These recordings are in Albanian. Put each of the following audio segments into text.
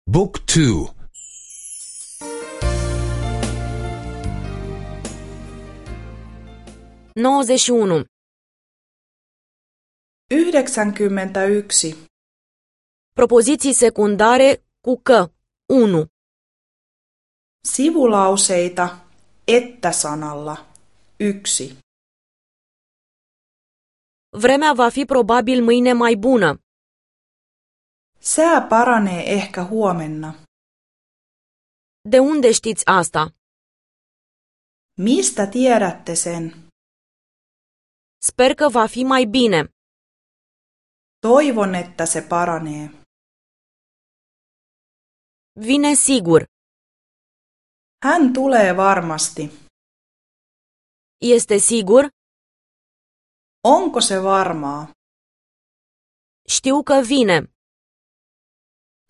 Book 2 91. 91. Propoziții secundare cu că. 1. Sivulauseita että-sanalla. 1. Vremea va fi probabil mâine mai bună. Sää paranee ehkä huomenna. De unde știți asta? Mistä tiedätte sen? Sper că va fi mai bine. Toivon, että se paranee. Vine sigur. Hän tulee varmasti. Este sigur? Onko se varmaa? Știu că vine.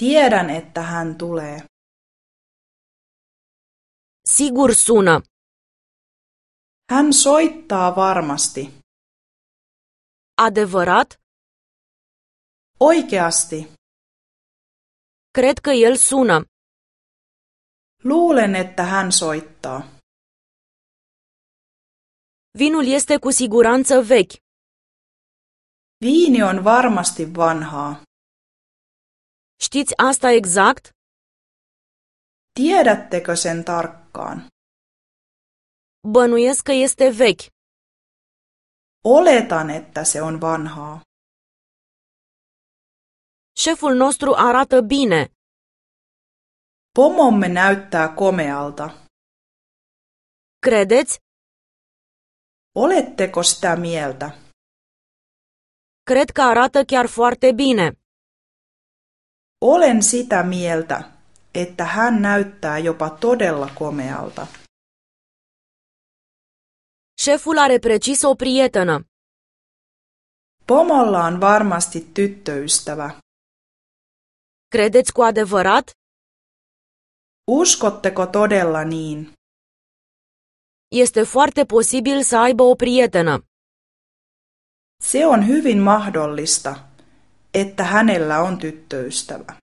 Tiedän, että hän tulee. Sigur sună. Hän soittaa varmasti. Adevărat? Oikeasti. Cred că el sună. Luulen, että hän soittaa. Vinul este cu siguranță vechi. Viini on varmasti vanhaa. Știți asta exact? Tiedättekö sen tarkkaan? Bănuiesc că este vechi. Oletan, että se on vanhaa. Șeful nostru arată bine. Pomomme näyttää komealta. Credeți? Oletteko sitä mieltä? Cred că arată chiar foarte bine. Olen sitä mieltä, että hän näyttää jopa todella komealta. Șeful are precis o prietenă. Pomolla on varmasti tyttöystävä. Credeți cu adevărat? Uskotteko todella niin? Este foarte posibil să aibă o prietenă. Se on hyvin mahdollista, että hänellä on tyttöystävä.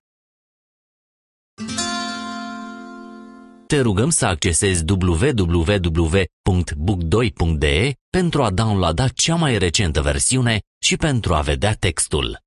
Te rugăm să accesezi www.book2.de pentru a downloada cea mai recentă versiune și pentru a vedea textul.